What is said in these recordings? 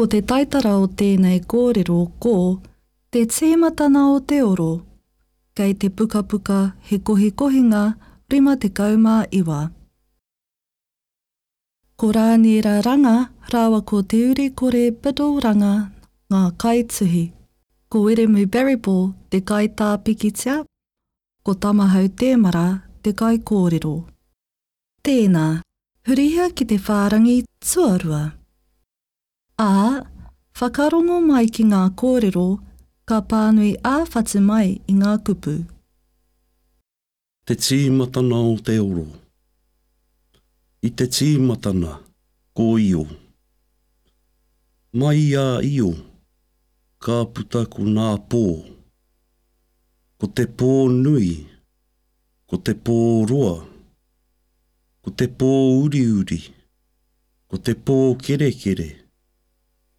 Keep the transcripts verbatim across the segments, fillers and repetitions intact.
Ko te taitara o tēnei kōrero ko Te Tīmatana o te Oro, kei te pukapuka He Kohikohinga rima tekau mā iwa. Ko Rāniera Ranga rāua ko Te Urikore Biddle Ranga ngā kaituhi. Ko Wiremu Barryball te kaitā pikitia, ko Tamahau Tēmara te kaikōrero. Tēnā, hurihia ki te whārangi tuarua. Ā, whakarongo mai ki ngā kōrero ka pānui ā-whatu mai i ngā kupu. Te tīmatana o te oro. I te tīmatana, ko Io. Mai i a Io, ka puta ko nā pō. Ko te pō nui, ko te pō roa, ko te pō uriuri, ko te pō kerekere,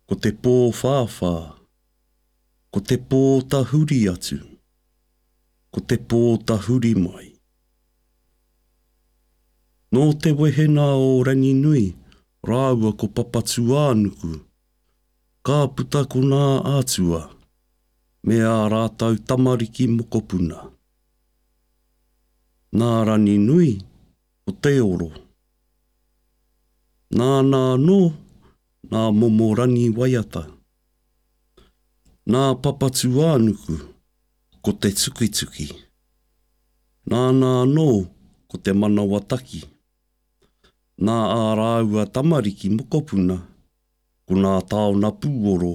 ko te pō whāwhā, ko te pō tahuri atu, ko te pō tahuri mai. Nō te wehena o Ranginui rāua ko Papatūānuku, ka puta ko nā atua me ā rātou tamariki mokopuna. Nā Ranginui ko te oro. Nāna anō nā momo rangi waiata. Nā Papatūānuku ko te tukituki. Nāna anō ko te manawataki. Nā ā rāua tamariki mokopuna ko nā taona pūoro.